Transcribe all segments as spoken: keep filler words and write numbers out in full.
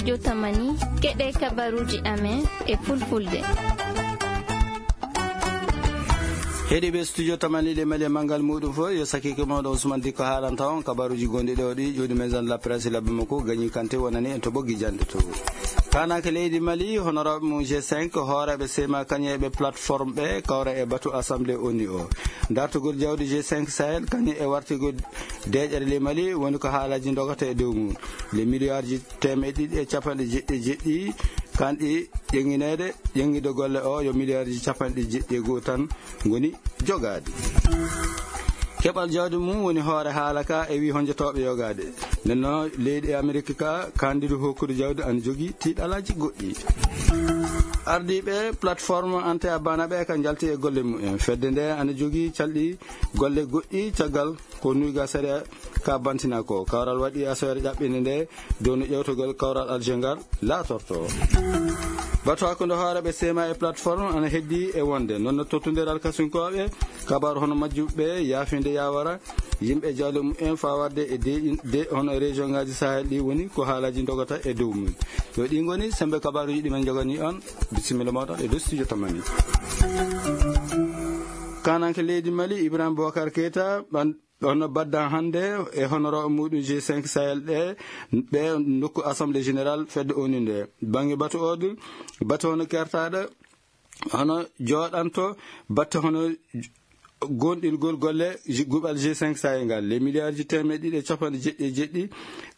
Jotamani, keɗe kabaruji amen e fulfulde. Heɗiɓe studio tamani le mali e mangal muɗum fof, yo sakike mawɗo Ousmane Dikko haalanta on kabaruji gonɗi ɗo ɗi. Ƴuwdi maison de la presse labbi makko gañi kante wonani en to ɓoggi jande to. Kanake leydi Mali, honorable mum G cinq, hooreɓe sema kañe ɓe plateforme ɓe kawra e batu assemblée oni o. Dartugol jawdi G cinq Sahel kañe e wartigol deƴere le Mali woni ko haalaji dogata e dow mum. Le milliardji temeɗɗe ɗiɗi e capanɗe jeɗɗi e jeɗɗi kanɗi ƴeŋŋineede, ƴeŋŋude golle o yo milliardji capanɗe jeɗɗi e go'o tan ngoni jogaade. Keɓal jawdi mum woni hoore haala ka e wi honjotooɓe yogaade. Nden no leydi e Amerik ka kandidu hokkude jawdi ana jogi tiiɗalaaji goɗɗi. Ardiiɓe plateforme Ante Abana ɓe ka njalti e golle mumen. Fedde nde ana jogi calɗi golle goɗɗi caggal ko nuyga sariya ka bantina ko. Kawral waɗi asoyere ƴaɓɓinde nde dow no ƴewtogol kawral Alger ngal laatorto. Batu hakkunde hooreɓe sema e plateforme ana heddi e wonde. Noon no tottundiral kasunkooɓe kabaru hono majjuɓe yaafinde yawara yimɓe jawle mumen fawarde e de, de hono région ngaji Sahel ɗi woni ko haalaji dogata e dow mum. Yo ɗi ngoni sembe kabaruji ɗi men jogani on. Bisimilla moɗon e dow studio tamani. Kananke leydi Mali, Ibrahim Boubacar Keita, ɓan-, ɗon no badda hannde e honoraaɓe muɗum G cinq Sahel ɗe, ɓe nokku Assemblée Générale fedde onu nde. Bannge batu o du, batu hono kertaɗo, hono jooɗanto, batte hono gonɗirgol golle ji-, guɓal G cinq Sahel ngal. Les milliards ji temeɗɗe ɗiɗi e capanɗe jeɗɗi e jeɗɗi,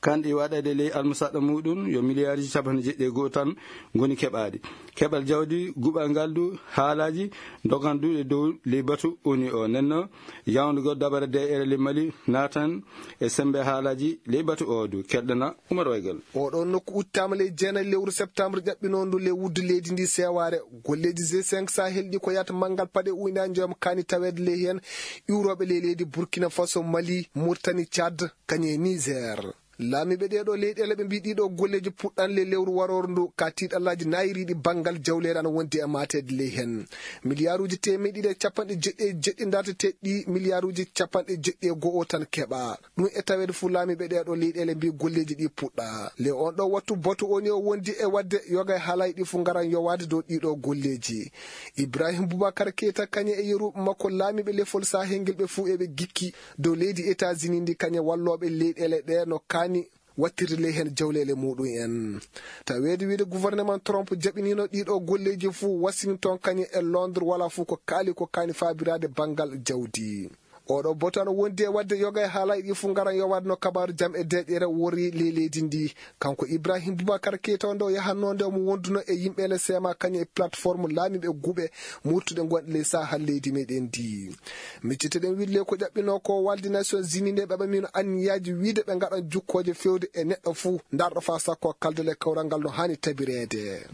kanɗi waɗade ley almusaɗɗo muɗum, yo milliards ji capanɗe jeɗɗi e go'o tan ngoni keɓaɗi. Keɓal jawdi guɓal ngal du haalaji dogan du e dow ley batu oni o. Nenno, yawndugo dabare D R L Mali natan e sembe haalaji ley batu o du. Keɗɗana Umar Waygal. Oɗo nokku uttama ley jeenayi lewru septembre ƴaɓɓinondu ley wuddu leydi ndi seware. Golleji G cinq Sahel ɗi ko yata mangal paɗe uyna joom kani tawede ley hen iwroɓe ley leydi Burkina Faso, Mali, Mauritanie, Tchad, kañe Niger. Laamiiɓe ɗee ɗoo leyɗeele ɓe mbii ɗii ɗoo golleeji puɗɗan le lewru warooru ndu, ka tiiɗallaaji naayiriiɗi banngal jawleeri ana wondi e maateede ley heen. Miliyaaruuji teemeɗɗe ɗiɗi e capanɗe jeɗɗi e jeɗɗi ndarteteeɗi ɗii, miliyaaruuji capanɗe jeɗɗi e go'o tan keɓaa. Ɗum e taweede fof laamiiɓe ɗee ɗoo leyɗeele mbii golleeji ɗii puɗɗaa. Le on ɗoo wattu batu oni o wondi e waɗde yoga e haalaaji ɗii fof ngaran yowaade dow ɗii ɗoo golleeji. Ibrahim Boubacar Keita kañe e yeru makko laamiiɓe lefol Sahel ngel ɓe fof eɓe gikki dow leydi États-Unis ndi kañe wallooɓe leyɗeele ɗee no kaani wattirde ley heen jawleele muɗum en. Taweede wiide gouvernement Trump jaɓiniino ɗii ɗoo golleeji fof wasini toon kañe e Londres wala fof ko kaali ko kaani faabiraade banngal jawdi. Oɗo batu ana wondi e waɗde yoga e haalaaji ɗii fof ngaran yowaade no kabaaru jam e deeƴere wori ley leydi ndi. Kanko Ibrahim Boubacar Keita o nde o yahatnoo nde omo wonduno e yimɓe ele sema kañe e plateforme laamiiɓe guɓe murtuɗe gonɗe ley Sahel leydi meɗen ndi. Micciteɗen wiide le ko ƴaɓɓinoo ko walde Nations Unies nde ɓe ɓamino anniyaaji wiide ɓe ngaɗan jukkooje fewde e neɗɗo fof ndarɗo faa sakko kalde le kawral ngal no haani tabireede.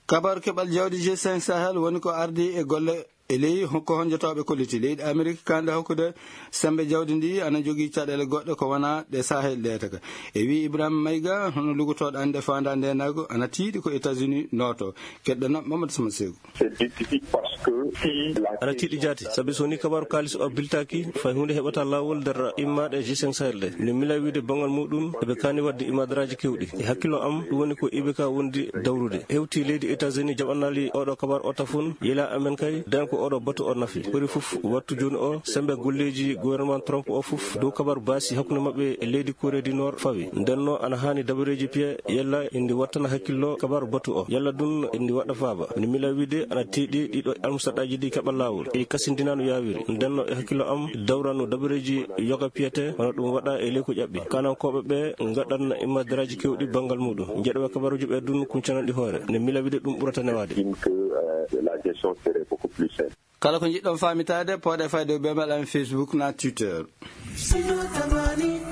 Kabaru keɓal jawdi G cinq Sahel woni ko ardi e golle e ley ko honjotooɓe kolliti leydi Amerik kande hokkude sembe jawdi ndi ana jogii caɗeele goɗɗe ko wona ɗe Sahel ɗe taka. E wi Ibrahim Mayga, hono lugotooɗo ande faanda nde nago ana tiiɗi ko États-Unis nooto. Keɗɗo na Mamadou Sama Segu. C'est difficile parce que si la Ana tiiɗi jaati, sabi so ni kabaru kaalis o biltaaki, fay huunde heɓata laawol nder immaɗe G cinq Sahel ɗe. Nde mila wiide bangal muɗum, eɓe kaani wadde imadaraaji kewɗi. E hakkillo am, ɗum woni ko I B K wondi dawrude. Hewti leydi États-Unis jaɓanaali oɗo kabaru o tafun, yela amen kay, den ko oɗo batu o nafi. Ɓuri fof wattu jooni o, sembe golleeji gouvernement Trump o fof, dow kabaru baasi hakkunde maɓɓe e leydi Corée du Nord fawi. Ndenno ana haani dabareeji piye, yella indi wattana hakkillo kabaru batu o. Yalla dun indi waɗa faaba. Ni mila wiide ana tiiɗi ɗiɗo almusaɗaji ɗi keɓa laawol. E kasindina no yaawiri. Ndenno e hakkillo am dawrano dabareeji yoga piyete, wano ɗum waɗa e ley ko ƴaɓɓi. Kanankooɓe ɓe ngaɗan immadaraaji kewɗi banngal muɗum. Njeɗoɓe kabaruji ɓe dun kuncananɗi hoore. Ne mila wiide ɗum ɓurata newaade. Estime que, euh, la gestion serait beaucoup plus simple. Kala ko njiɗɗon faamitaade, pooɗe fayde e bemel am Facebook na Twitter.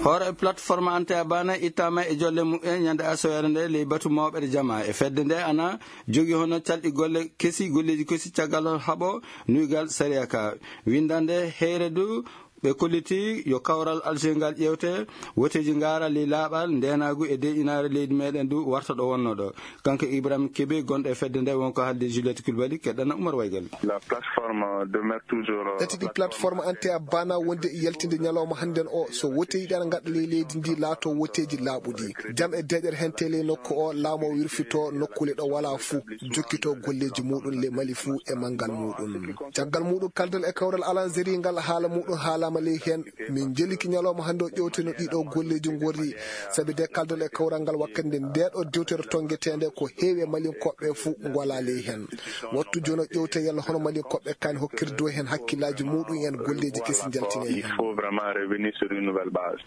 Hoore plateforme Ante Abana ittama e jolle mumen ñande asoyere nde ley batu mawɓe ɗe jama. E fedde nde ana jogi hono calɗi golle kesi, golleeji kesi caggal haɓo nuygal sariya ka. Windande heyre du Ɓe kolliti yo kawral Alger ngal ƴeewte, woteeji ngaara ley laaɓal, ndeenaagu e deeƴinaare leydi meɗen du warta ɗo wonno ɗo. Kanko Ibrahim Kebe, gonɗo e fedde nde, wonko haalde Juliette Coulibaly, keɗɗana Oumar Waygal. La plateforme demeure toujours, euh, Tati ɗi plateforme ante a bana wonde e yaltinde ñalawma hannden o, so woteeji ɗi ana ngaɗa ley leydi ndi laato woteeji laaɓuɗi. Jam e deeƴere hente ley nokku o, laamu o wirfito nokkuule ɗo wala fuu, jokkito golleeji muɗum le Mali fuu e manngal muɗum. Caggal muɗum, kaldal e kawral Alanzeri ngal, haala muɗum haalaama ley heen. Min njeliki ñalawma hannde o ƴewteno ɗiɗo golleeji ngorri, sabi de kaldal e kawral ngal wakkati nde nde ɗo dewtere tonngeteende ko heewi e Malinkoɓe fuu ngwala ley heen. Wattu jooni o ƴewte yalla hono Malinkoɓe kan hokkirdo heen hakkillaaji muɗum en golleeji kesi njaltine heen. Il faut vraiment revenir sur une nouvelle base.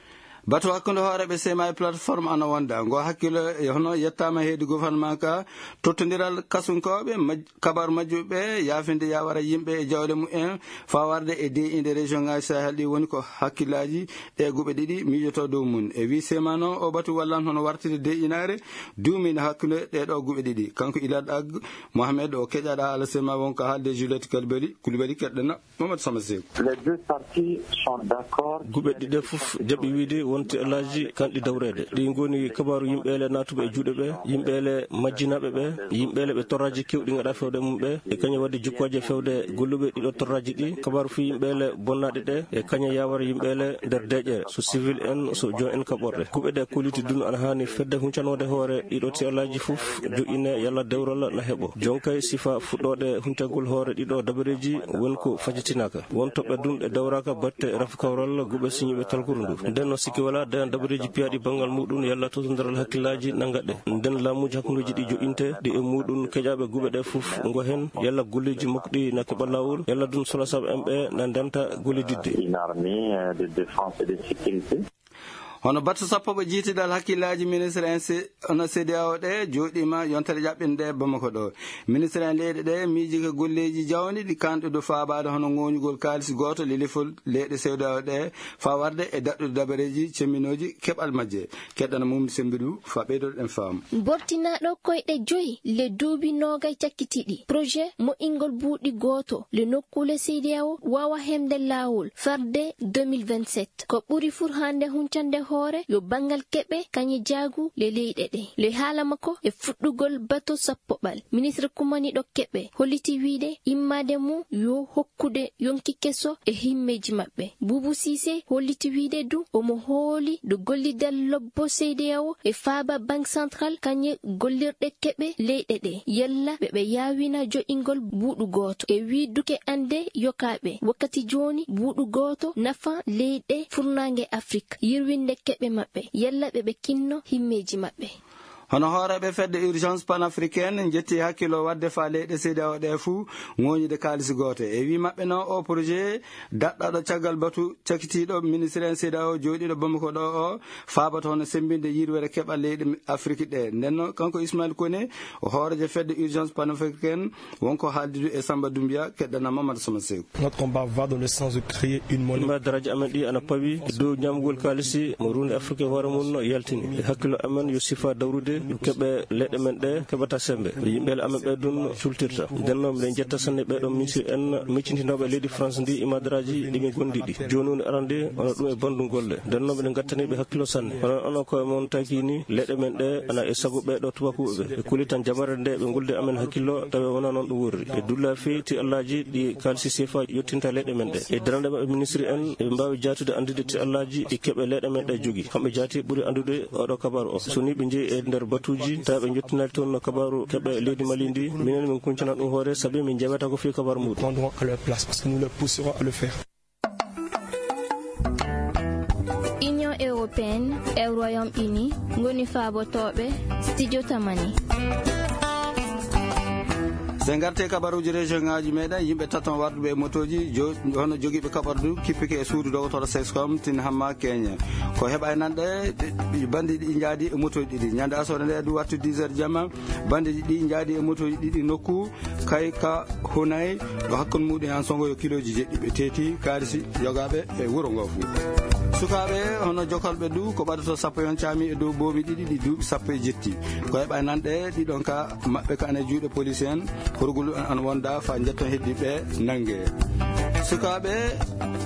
Batu hakkunde hooreeɓe sema e plateforme ana wonda. Ngo hakkilo e hono yettaama heedi gouvernement ka, tottondiral kasunkooɓe, maj-, kabaru majjuɓe, yaafinde yawara yimɓe e jawle mumen, faa warde e deeƴinde région ŋaaji Sahel ɗi woni ko hakkillaaji ɗe guɓe ɗiɗi miijoto dow mum. E wii sema noon, o batu wallan hono wartide deeƴinaare duumiinde hakkunde ɗee ɗoo guɓe ɗiɗi. Kanko Ilad Ag Mohamed o keƴaɗa haala sema won ko haalde Juliette Kalbeli, Koulibaly keɗɗana. Mamadou Sama Seeku. Les deux parties sont d'accord. Guɓe ɗiɗe fof jaɓi wiide wonti alaaji kanɗi dawreede. Ɗi ngoni kabaaru yimɓeele naatuɓe e juuɗe ɓe, yimɓeele majjinaaɓe ɓe, yimɓeele ɓe torraaji keewɗi ngaɗa fewde e mum ɓe, e kañum waɗi jukkooje fewde golluɓe ɗiɗo torraaji ɗi, kabaaru fii yimɓeele bonnaaɗe ɗe, e kañum yawara yimɓeele nder deeƴere, so civil en, so jon en kaɓorɗe. Guɓe ɗe kolliti dun ana haani fedde huncanoode hoore ɗiɗo ti alaaji fof, joƴƴine yalla dewral na heɓo. Jonkay sifa fuɗɗoode huncagol hoore ɗiɗo dabareeji woni ko fajitinaaka. Won toɓɓe dun ɗe dawraaka batte rafi kawral guɓe siñiiɓe talkuru ndu. Nden no sikki wala dayan dabareeji piyaaɗi banngal muɗum yalla tottondiral hakkillaaji na ngaɗe. Nden laamuuji hakkundeeji ɗi joƴƴinte ɗi e muɗum keƴaaɓe guɓe ɗe fof ngo hen yalla golleeji mokɗi na keɓa laawol yalla dun sola sabu en ɓe na ndenta gollididde. Une armée, euh, de défense et de sécurité. Hono batte sappo ɓe jiitidal hakkillaaji ministre en se-, hono C D A O ɗe jooɗiima yontere ƴaɓɓinde Bamako ɗo. Ministre en leyɗe ɗe miiji ko golleeji jawni ɗi kanɗe dow faabaade hono ŋooñugol kaalis gooto lelifol leyɗe C D A O ɗe faa warde e daɗɗude dabareeji cemminooji keɓal majje. Keɗɗana mum sembiɗu faa ɓeydoɗen faamu. Bortinaaɗo koyɗe joyi le duuɓi noogay cakkitiiɗi. Projet moƴƴingol buuɗi gooto le nokkuule C D A O waawa heɓde laawol farde deux mille vingt-sept. Ko ɓuri furhande huncande hoore yo banngal keɓe kañe jaagu le leyɗe ɗe. Le haala makko e fuɗɗugol bato sappoɓal. Ministre kumaniiɗo keɓe holliti wiide immaade mum yo hokkude yonki keso e himmeeji maɓɓe. Buubu Siise holliti wiide du omo hooli do gollidal lobbo C D A O e faaba Banque Centrale kañe gollirɗe keɓe leyɗe ɗe. Yalla ɓe ɓe yaawina joƴingol buuɗu gooto. E wii duke annde yokaaɓe wakkati jooni buuɗu gooto nafa leyɗe furnaange Afrik, yirwinde keɓe maɓɓe. Yalla ɓe ɓe kinno himmeeji maɓɓe. Hono hooreeɓe fedde Urgence Panafricaine njetti hakkilo waɗde faa leyɗe C D A O ɗe fuu ŋooñude kaalisi gooto. E wii maɓɓe noon, o projet daɗɗaɗo caggal batu cakitiiɗo ministre en C D A O jooɗiiɗo Bamako ɗo o, faaboto hono semmbinde yirwere keɓal leyɗe Afrik ɗe. Nden noon, kanko Ismaël Koné, o hooreejo fedde Urgence Panafricaine, wonko haaldude e Samba Doumbia, keɗɗana Mamadou Sama Seeku. Notre combat va dans le sens de créer une monnaie. Imma daraaji amen ɗi ana pawi e dow ñaamgol kaalisi mo ruunde Afrik e hoore mum no yaltini. E hakkilo amen yo sifa dawrude yo keɓe leyɗe men ɗe keɓata semmbe. Yimɓe amen ɓe ɗum cultirta. Nden noon, miɗen njetta sanne ɓee ɗoo ministre en miccintinooɓe leydi France ndi e madaraaji ɗi min ngondi ɗi. Jooni woni arande, wona ɗum e banndum golle. Nden noon, miɗen ngattani ɓe hakkilo sanne. Kono onon koye mon taki ni, leyɗe men ɗe ana e sago ɓee ɗoo tubakuuɓe ɓe. Ɓe kuli tan jamare nde ɓe ngoldi amen hakkillo, tawi wona noon ɗum worri. Ɓe dulla fii ti allaaji ɗi kaalisi sefa yottinta leyɗe men ɗe. E darande maɓɓe ministre en, eɓe mbaawi jaatude anndude ti allaaji ɗi keɓe leyɗe men ɗe jogi. Kamɓe jaati ɓuri anndude oɗo kabaaru o. So ni ɓe njehi e nder batuuji, tawi ɓe njottinaali toon no kabaaru keɓe leydi Mali ndi, minen min kuncana ɗum hoore, sabi min njewata ko fii kabaaru muɗum. Répondront à leur place, parce que nous les pousserons à le faire. Union européenne e Royaume-Uni ngoni faabotooɓe studio Tamani. So en ngartii e kabaruuji région ŋaaji meɗen, yimɓe taton warduɓe e motooji, jo-, hono jogiiɓe kaɓordu, kippike e suudu dogotoro Sexcom, Tin Hamma Keñe. Ko heɓa e nanɗe, ɓe, ɓe, bandi ɗi njaadi e motooji ɗiɗi. Ñande asoore nde, du wattu dix heures jamma, bandi ɗi njaadi e motooji ɗiɗi nokku, kay ka Hunay, ɗo hakkunde muɗum e Ansongo yo kilooji jeɗɗi ɓe teeti, kaarisi yogaaɓe e wuro ngo fuu. Sukaaɓe, hono jokolɓe du, ko ɓadoto sappo yon caami e dow boomi ɗiɗi ɗi duuɓi sappo e jetti. Ko heɓa e nanɗe, ɗiɗon ka maɓɓe ka ana e juuɗe police en, horgol an wonda fa jetton heddi ɓe nange. Sukaaɓe,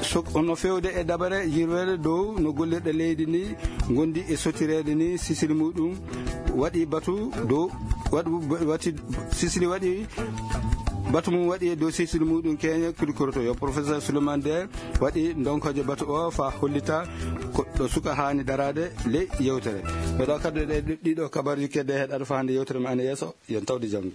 suk-, no feewde e dabare yirwere dow no gollirɗe leydi ndi ngondi e sottireede ni, sisiri muɗum waɗi batu dow, waɗu, waɗi, sisiri waɗi batu mum waɗi e dow sisiri muɗum keñe kulkoroto. Yo professeur Souleymane Der waɗi ndonkojo batu o fa hollita ko ɗo suka haani daraade ley yewtere. Ɓe ɗo kaddu ɗe ɗiɗo kabaruji kedde heɗaɗo fa hannde yewtere ma ene yeeso, yen tawde janngo.